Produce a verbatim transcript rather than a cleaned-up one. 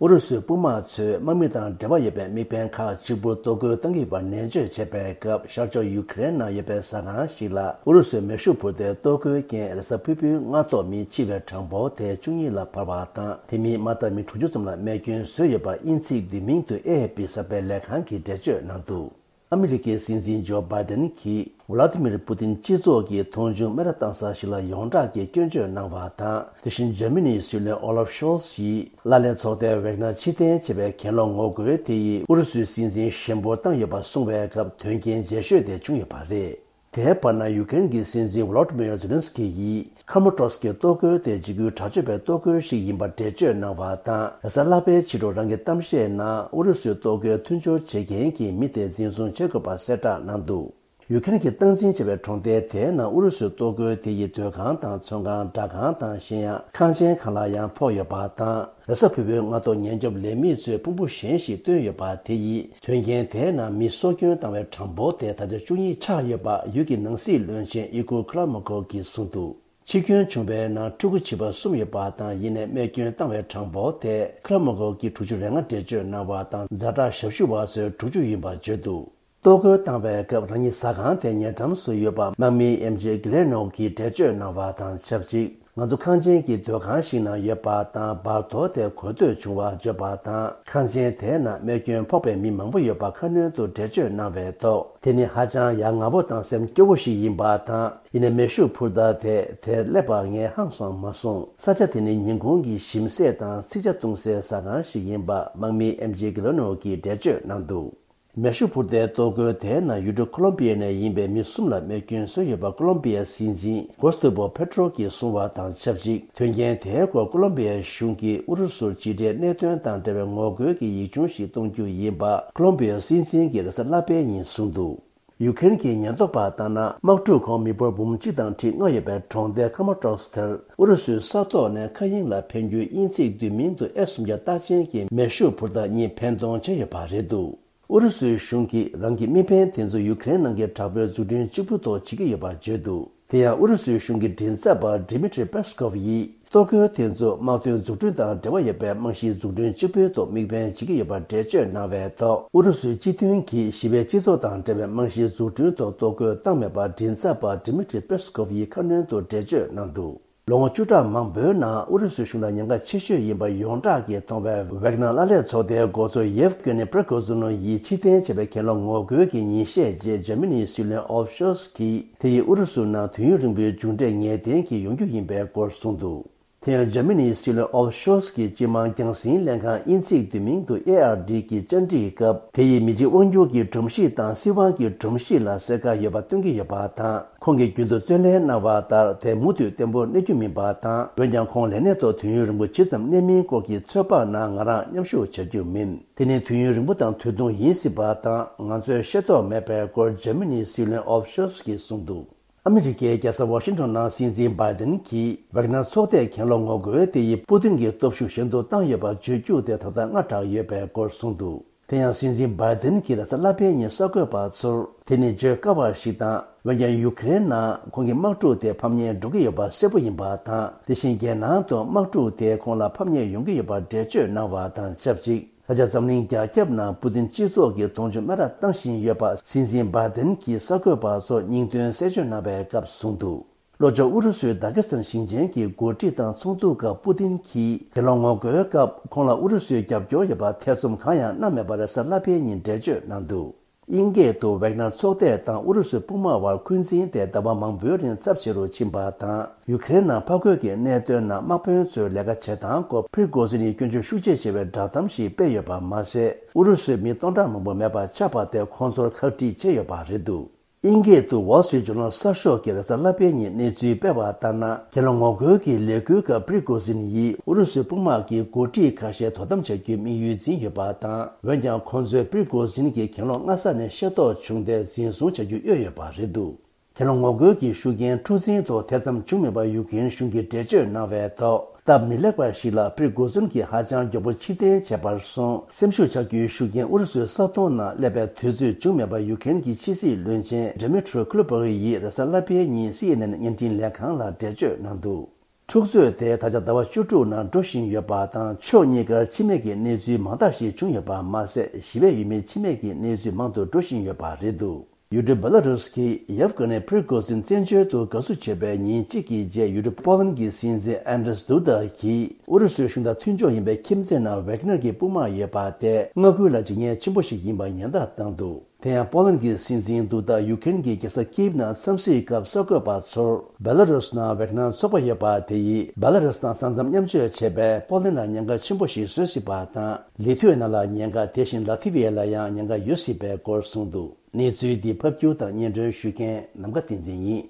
ཨུ་རུ་སུའི་དཔུང་དམག་ཚོས་དམག་མི་དང་འབྲེལ་བ་ཡོད་པའི་དམིགས་འབེན་ཁག་གཅིག་པུར་གཏོར་རྒོལ་བཏང་གི་ཡོད་པར་ནན་བརྗོད་བྱས་པའི་སྐབས། ཤར་ཕྱོགས་ཡུ་ཁེ་རེན་ནང་ཡོད་པའི་ཟ་ཁང་ཞིག་ལ་ཨུ་རུ་སུའི་མེ་ཤུགས་འཕུར་མདེལ་གཏོར་རྒོལ་རྐྱེན་རེས་གཟའ་ཕུར་བུའི་སྔ་ཐོག་མི་འཆི་བའི་གྲངས་འབོར་དེ་བཅུ་གཉིས་ལ་འཕར་བ་དང་། དེ་མིན་མ་མཐར་མི་དྲུག་ཅུ་ཙམ་ལ་རྨས་སྐྱོན་བཟོས་ཡོད་པ་དབྱིན་ཚིག་བསྡུས་མིང་དུ་ཨེ་ཨེ་ཕི་གསར་སྤེལ་ལས་ཁང་གིས་འགྲེལ་བརྗོད་གནང་འདུག་ཨ་མི་རི་ཀའི་སྲིད་འཛིན་ཇོ་བྷའི་ཏན་གྱིས་ཝ་ལ་ཏི་མིར་པུ་ཏིན་སྤྱི་ཚོགས་ཀྱི་མཐོང་ཆུང་སྨད་ར་བཏང་ས་ཞིག་ལ་ཡོངས་གྲགས་ཀྱི་སྐྱོན་བརྗོད་གནང་བ་དང་། དེ་བཞིན་འཇར་མ་ནིའི་སྲིད་བློན་ཨོ་ལབ་ཤོལ་ཚ་ཡིས་ལ་ལན་ཚོགས་སྡེའི་ཝེག་ནར་ཕྱིར་འཐེན་བྱས་པའི་གྱེན་ལོག་ངོ་རྒོལ་དེ་ཡིས་ཨུ་རུ་སུའི་སྲིད་འཛིན་ཞན་པོ་བཏང་ཡོད་པ་གསུངས་པའི་སྐབས། དོན་རྐྱེན་རྗེས་ཤོས་དེ་བྱུང་ཡོད་པ་རེད། དེའི་བར་ན། ཡུ་ཀེ་རེན་གྱི་སྲིད་འཛིན་ཝོ་ལོ་ཏི་མིར་ཛེ་ལན་སི་ཀི་ཡིས་ཁ་མོ་ཏྲོ་སི་ཀི་གཏོར་རྒོལ་དེ་འཇིགས་སྐུལ་དྲག་སྤྱོད་པའི་གཏོར་རྒོལ་ཞིག་ཡིན་པར་འགྲེལ་བརྗོད་གནང་བ་དང་། རེས་གཟའ་ལྷག་པའི་ཕྱི་དྲོ་རང་གི་གཏམ་བཤད་ནང་ཨུ་རུ་སུའི་གཏོར་རྒོལ་མཐུན་སྦྱོར་བྱེད་མཁན་གྱི་མི་དེ་འཛིན་བཟུང་བྱེད་དགོས་པ་གསལ་བསྒྲགས་གནང་འདུག་ཡུ་ཀེ་རེན་གྱིས་སྟངས་འཛིན་བྱས་པའི་གྲོང་རྡལ་དེའི་ནང་ཨུ་རུ་སུའི་གཏོར་རྒོལ་དེ་ཡིས་སྡོད་ཁང་དང་། ཚོང་ཁང་། སྦྲག་ཁང་དང་། གཞན་ཡང་ཁང་ཆེན་ཁག་ལ་ཡང་ཕོག་ཡོད་པ་དང་། རེས་གཟའ་ཕུར་བུའི་སྔ་ཐོག་ཉེན་སྐྱོབ་ལས་མི་ཚོས་ཕུང་པོ་གཞན་ཞིག་བཏོན་ཡོད་པ་དེ་ཡིས། དོན་རྐྱེན་དེའི་ནང་མི་སྲོག་སྐྱོན་བཏང་བའི་གྲངས་འབོར་དེ་ད་ཆ་བཅུ་གཉིས་ཆགས་ཡོད་པ་ཡུལ་གྱི་ནང་སྲིད་བློན་ཆེན་ཨི་གོ་ཁི་ལ་མོ་ཀོ་གིས་གསུངས་འདུག་འཆི་སྐྱོན་བྱུང་བའི་ནང་ཕྲུ་གུ་བྱིས་པ་གསུམ་ཡོད་པ་དང་། ཡིན་ནའི་རྨས་སྐྱོན་བཏང་བའི་གྲངས་འབོར་དེ་ཁི་ལ་མོ་ཀོ་གིས་དྲུག་ཅུ་རེ་ལྔ་འགྲེལ་བརྗོད་གནང་བ་དང་། ཛ་དྲག་ཞབས་ཞུ་བ་ཚོས་དྲུག་ཅུ་ཡིན་པ་བརྗོད་འདུག་གཏོར་རྒོལ་བཏང་བའི་སྐབས་རང་ཉིད་ཟ་ཁང་དེ་ཉེ་འགྲམ་སུ་ཡོད་པ་དམག་མི་ཨེམ་ཇེ་གྷི་ལེ་ནོ་གིས་འགྲེལ་བརྗོད་གནང་བ་དང་ཆབས་ཅིག་ང་ཚོ་ཁང་ཆེན་གྱི་སྡོད་ཁང་ཞིག་ནང་ཡོད་པ་དང་། བར་དོ་དེ་གོ་ཐོས་བྱུང་བ་བརྗོད་པ་དང་། ཁང་ཆེན་དེའི་ནང་རྨས་སྐྱོན་ཕོག་པའི་མི་མང་པོ་ཡོད་པ་ཁ་སྣོན་དུ་འགྲེལ་བརྗོད་གནང་བའི་ཐོག་དེ་ནི་ཧ་ཅང་ཡ་ང་པོ་དང་སེམས་སྐྱོ་བོ་ཞིག་ཡིན་པ་དང་། ཡིན་ནའི་མེ་ཤུགས་འཕུར་མདའ་དེ་དེར་སླེབས་པ་ངས་ཧང་སང་མ་སོང་། ས་ཆ་དེ་ནི་ཉིན་གུང་གི་ཞིམ་ཟས་དང་ཚིག་ཇ་བཏུང་སའི་ཟ་ཁང་ཞིག་ཡིན་པ་དམག་མི་ཨེམ་ཇེ་གྷི་ལེ་ནོ་གིས་འགྲེལ་བརྗོད་གནང་འདུག་མེ་ཤུགས་འཕུར་མདའི་གཏོར་རྒོལ་དེའི་ནང་ཡུལ་གྲུ་ཁོ་ལོམ་པི་ཡ་ནས་ཡིན་པའི་མི་གསུམ་ལ་རྨས་སྐྱོན་བཟོས་ཡོད་པ་ཁོ་ལོམ་པི་ཡའི་སྲིད་འཛིན་གོ་སི་ཏོ་པོ་ཕེ་ཏྲོ་གིས་གསུངས་པ་དང་ཆབས་ཅིག་དོན་རྐྱེན་དེའི་སྐོར་ཁོ་ལོམ་པི་ཡའི་གཞུང་གིས་ཨུ་རུ་སུར་ཕྱི་འབྲེལ་གནད་དོན་དང་འབྲེལ་བའི་ངོ་རྒོལ་གྱི་ཡིག་ཆུང་ཞིག་གཏོང་རྒྱུ་ཡིན་པ་ཁོ་ལོམ་པི་ཡའི་སྲིད་འཛིན་གྱིས་རེས་གཟའ་ལྷག་པའི་ཉིན་གསུངས་འདུག་ཡུ་ཀེ་རེན་གྱི་ཉེན་རྟོག་པ་ལྟར་ན། དམག་འཁྲུག་གོང་མི་འབོར་འབུམ་གཅིག་དང་ཁྲི་ལྔ་ཡོད་པའི་གྲོང་རྡལ་ཁ་མོ་ཏྲོག་སི་དེར་ཨུ་རུ་སུའི་ས་ཐོག་ནས་མཁའ་དབྱིངས་ལ་འཕེན་རྒྱུའི་དབྱིན་ཚིག་བསྡུས་མིང་དུ་ཨེ་སུམ་བརྒྱ་རྟགས་ཅན་གྱི་མེ་ཤུགས་འཕུར་མདའ་གཉིས་འཕེན་གཏོང་བྱས་ཡོད་པ་རེད་འདུག་ཨུ་རུ་སུའི་གཞུང་གིས་རང་གི་དམིགས་འབེན་དེ་ཚོ་ཡུ་ཀེ་རེན་ནང་གི་དྲག་པོའི་འཛུགས་སྐྲུན་གཅིག་པུའི་ཐོག་བྱེད་ཀྱི་ཡོད་པ་བརྗོད་འདུག་དེ་ཡང་ཨུ་རུ་སུའི་གཞུང་གི་མགྲིན་ཚབ་པ་Dmitry Peskov་ཡིས། གཏོར་རྒོལ་དེ་ཚོ་དམག་དོན་འཛུགས་སྐྲུན་དང་འབྲེལ་བ་ཡོད་པའི་རྨང་གཞིའི་འཛུགས་སྐྲུན་གཅིག་པུའི་ཐོག་དམིགས་འབེན་བྱེད་ཀྱི་ཡོད་པར་འགྲེལ་བརྗོད་གནང་བའི་ཐོག་ཨུ་རུ་སུའི་སྤྱི་མཐུན་གྱིས་ཞི་བའི་སྤྱི་ཚོགས་དང་འབྲེལ་བའི་རྨང་གཞིའི་འཛུགས་སྐྲུན་ཐོག་གཏོར་རྒོལ་བཏང་མེད་པར་མགྲིན་ཚབ་པ་Dmitry Peskov་ཡིས་ཁ་སྣོན་དུ་འགྲེལ་བརྗོད་གནང་འདུག་ལོ་ངོ་བཅུ་ཕྲག་མང་པོའི་ནང་ཨུ་རུ་སུའི་གཞུང་ལ་ཉེན་ཁ་ཆེ་ཤོས་ཡིན་པ་ཡོངས་གྲགས་ཀྱིས་མཐོང་བའི་ཝེག་ནར་ལ་ལས་ཚོགས་སྡེའི་འགོ་གཙོ་ཡེབ་ཀེ་ནི་པྲེ་གོ་ཟུ་ནོ་ཡིས་ཕྱིར་འཐེན་བྱས་པའི་གྱེན་ལོག་ངོ་རྒོལ་གྱི་ཉིན་ཤས་རྗེས་འཇར་མ་ནིའི་སྲིད་བློན་ཨོ་ལབ་ཤོལ་ཚ་གིས་དེ་ཡིས་ཨུ་རུ་སུ་ནང་དུས་ཡུན་རིང་པོའི་མཇུག་འབྲས་ངེས་གཏན་གྱིས་ཡོང་རྒྱུ་ཡིན་པའི་སྐོར་གསུངས་འདུག་དེ་ཡང་འཇར་མ་ནིའི་སྲིད་བློན་ཨོ་ལབ་ཤོལ་ཚ་གིས་སྤྱི་དམངས་རྒྱང་སྲིང་ལྷན་ཁང་དབྱིན་ཚིག་བསྡུས་མིང་དུ་ཨེ་ཨར་ཌི་གི་བཅར་འདྲིའི་སྐབས་དེ་ཡིས་མི་གཅིག་དབང་སྒྱུར་གྱི་སྒྲོམ་གཞི་དང་སྲིད་དབང་གི་སྒྲོམ་གཞི་ལ་གསལ་ཁ་ཡོད་པ་སྟོན་གྱི་ཡོད་པ་དང་། ཁོང་གིས་རྒྱུན་དུ་བརྩོན་ལེན་གནང་བ་ལྟར་དེ་མུ་མཐུད་བརྟན་པོ་གནས་རྒྱུ་མིན་པ་དང་། འོན་ཀྱང་ཁོང་ལས་གནས་ཐོག་དུས་ཡུན་རིང་པོ་ཇི་ཙམ་གནས་མིན་སྐོར་གྱི་ཚོད་དཔག་ནང་ང་རང་མཉམ་ཞུགས་བྱ་རྒྱུ་མིན། དེ་ནི་དུས་ཡུན་རིང་པོ་དང་དུས་ཐུང་ཡིན་སྲིད་པ་དང་། ང་ཚོས་ཤེས་རྟོགས་མེད་པའི་སྐོར་འཇར་མ་ནིའི་སྲིད་བློན་ཨོ་ལབ་ཤོལ་ཚ་གིས་གསུངས་འདུག་ཨ་མི་རི་ཀའི་རྒྱལ་ས་ཝ་ཤིང་ཊོན་ནང་སྲིད་འཛིན་བྷའི་ཏན་གྱིས་ཝེག་ནར་ཚོགས་སྡེས་གྱེན་ལོག་ངོ་རྒོལ་དེ་ཡིས་པུ་ཏིན་གྱི་སྟོབས་ཤུགས་ཞན་དུ་བཏང་ཡོད་པ་བརྗོད་རྒྱུ་དེ་ད་ལྟ་སྔ་དྲགས་ཡོད་པའི་སྐོར་གསུངས་འདུག་དེ་ཡང་སྲིད་འཛིན་བྷའི་ཏན་གྱིས་རེས་གཟའ་ལྷག་པའི་ཉིན་གསར་འགོད་པ་ཚོར་དེ་ནི་བརྗོད་དཀའ་བ་ཞིག་དང་། འོན་ཀྱང་ཡུ་ཀེ་རེན་ནང་ཁོང་གི་དམག་འཁྲུག་དེ་ཕམ་ཉེས་འགྲོ་གི་ཡོད་པ་གསལ་པོ་ཡིན་པ་དང་། དེ་བཞིན་རྒྱལ་ནང་དུ་དམག་འཁྲུག་དེ་ཁོང་ལ་ཕམ་ཉེས་ཡོང་གི་ཡོད་པར་འགྲེལ་བརྗོད་གནང་བ་དང་ཆབས་ཅིག་ད་ཆ་འཛམ་གླིང་རྒྱ་ཁྱབ་ནང་པུ་ཏིན་སྤྱི་ཚོགས་ཀྱི་མཐོང་ཆུང་སྨད་ར་བཏང་བཞིན་ཡོད་པ་སྲིད་འཛིན་བྷའི་ཏན་གྱིས་གསར་འགོད་པ་ཚོར་སྙིང་དོན་གསལ་བརྗོད་གནང་བའི་སྐབས་གསུངས་འདུག་ལྷོ་ཕྱོགས་ཨུ་རུ་སུའི་དཱ་ཀི་སི་ཐན་ཞིང་ཆེན་གྱི་འགོ་ཁྲིད་དང་ཚོགས་འདུ་སྐབས་པུ་ཏིན་གྱིས་གྱེན་ལོག་ངོ་རྒོལ་སྐབས་ཁོང་ལ་ཨུ་རུ་སུའི་རྒྱབ་སྐྱོར་ཡོད་པ་ཐེ་ཚོམ་གང་ཡང་གནང་མེད་པར་རེས་གཟའ་ལྷག་པའི་ཉིན་འགྲེལ་བརྗོད་གནང་འདུག་དབྱིན་སྐད་དུ་ཝེག་ནར་ཚོགས་སྡེ་དང་ཨུ་རུ་སུའི་དཔུང་དམག་དབར་འཁོན་འཛིན་དེ་ཟླ་བ་མང་པོའི་རིང་ཚབས་ཆེ་རུ་ཕྱིན་པ་དང་། ཡུ་ཀེ་རེན་ནང་ཕར་རྒོལ་གྱི་གནད་དོན་ནང་དམག་དཔོན་ཚོའི་ལས་ཀ་བྱེད་སྟངས་སྐོར་པྲི་གོ་ཟིན་ཡིས་སྐྱོན་བརྗོད་ཤུགས་ཆེ་བྱས་པའི་བསྒྲགས་གཏམ་ཞིག་སྤེལ་ཡོད་པ་མ་ཟད། ཨུ་རུ་སུའི་མི་སྟོང་ཕྲག་མང་པོ་མེད་པ་ཆགས་པ་དེ་ཁོང་ཚོར་ཁག་དཀྲིས་བྱས་ཡོད་པ་རེད་འདུག་དབྱིན་སྐད་དུ་Wall Street Journal་གསར་ཤོག་གིས་རེས་གཟའ་ལྷག་པའི་ཉིན་གནས་ཚུལ་སྤེལ་བ་ལྟར་ན། གྱེན་ལོག་ངོ་རྒོལ་གྱི་ལས་འགུལ་སྐབས་པྲི་གོ་ཟིན་ཡིས་ཨུ་རུ་སུའི་དཔུང་དམག་གི་འགོ་ཁྲིད་ཁ་ཤས་དོ་དམ་བྱ་རྒྱུའི་དམིགས་ཡུལ་འཛིན་ཡོད་པ་དང་། འོན་ཀྱང་ཁོང་ཚོས་པྲི་གོ་ཟིན་གྱི་གྱེན་ལོག་སྔ་ས་ནས་ཤེས་རྟོགས་བྱུང་སྟེ་འཛིན་བཟུང་བྱ་རྒྱུ་གཡོལ་ཡོད་པ་རེད་འདུག་གྱེན་ལོག་ངོ་རྒོལ་གྱི་ཤུགས་རྐྱེན་འཁྲུག་འཛིང་ཐོག་ཐེ་ཚོམ་བྱུང་མེད་པར་ཡུ་ཀེ་རེན་གཞུང་གིས་འགྲེལ་བརྗོད་གནང་བའི་ཐོག་སྟབས་མི་ལེགས་པ་ཞིག་ལ་པྲི་གོ་ཟུན་གྱིས་ཧ་ཅང་མགྱོགས་པོ་ཕྱིར་འཐེན་བྱས་པར་སོང་། སེམས་ཤུགས་ཆག་རྒྱུའི་ཤུགས་རྐྱེན་ཨུ་རུ་སུའི་ས་མཐོང་ནང་སླེབས་པའི་དུས་ཚོད་བྱུང་མེད་པར་ཡུ་ཀེ་རེན་གྱི་ཕྱི་སྲིད་བློན་ཆེན་Dmytro Kuleba་ཡིས་རེས་གཟའ་ལྷག་པའི་ཉིན་སི་ཨེན་ཨེན་བརྙན་འཕྲིན་ལས་ཁང་ལ་འགྲེལ་བརྗོད་གནང་འདུག་འཁྲུག་རྩོད་དེ་ད་ཆ་ཟླ་བ་བཅུ་དྲུག་ནང་འགྲོ་བཞིན་ཡོད་པ་དང་། ཕྱོགས་གཉིས་ཀར་འཆི་རྨས་ཀྱི་གནས་ཚུལ་མང་དག་ཞིག་བྱུང་ཡོད་པ་མ་ཟད། ཞི་བའི་ཡུལ་མིའི་འཆི་རྨས་ཀྱི་གནས་ཚུལ་མང་དུ་འགྲོ་བཞིན་ཡོད་པ་རེད་འདུག་ཡུལ་གྲུ་བེ་ལ་རུས་ཀྱི་ཡེབ་ཀ་ནི་པྲི་གོ་ཟིན་བཙན་བྱོལ་དུ་དགའ་བསུ་བྱས་པའི་ཉིན་གཅིག་གི་རྗེས། ཡུལ་གྲུ་པོ་ལན་གྱི་སྲིད་འཛིན་ཨན་ཌྲེས་དུ་ད་གིས་ཨུ་རུ་སུའི་གཞུང་དང་མཐུན་ཕྱོགས་ཡིན་པའི་ཁྱིམ་མཚེས་ནང་ཝེག་ནར་གྱི་དཔུང་དམག་ཡོད་པ་དེ་མངའ་ཁུལ་ལ་འཇིགས་ཉེན་ཆེན་པོ་ཞིག་ཡིན་པ་ཉེན་བརྡ་བཏང་འདུག་དེ་ཡང་པོ་ལན་གྱི་སྲིད་འཛིན་དུ་ད་ཡུ་ཀེ་རེན་གྱི་རྒྱལ་ས་ཀིབ་ནང་འཚམས་གཟིགས་སྐབས་གསར་འགོད་པ་ཚོར། བེ་ལ་རུས་ནང་ཝེག་ནར་ཚོགས་པ་ཡོད་པ་དེ་ཡིས་བེ་ལ་རུས་དང་ས་མཚམས་མཉམ་སྤྱོད་བྱས་པས་པོ་ལན་ལ་ཉེན་ཁ་ཆེན་པོ་ཞིག་བཟོ་སྲིད་པ་དང་། ལི་ཐུ་ཝེ་ན་ལ་ཉེན་ཁ། དེ་བཞིན་ལ་ཐི་ཝེ་ལ་ཡང་ཉེན་ཁ་ཡོད་སྲིད་པའི་སྐོར་གསུངས་འདུག་གནས་ཚུལ་འདི་ཕབ་སྒྱུར་དང་སྙན་སྒྲོན་ཞུ་མཁན་ནམ་མཁའ་བསྟན་འཛིན་ཡིན།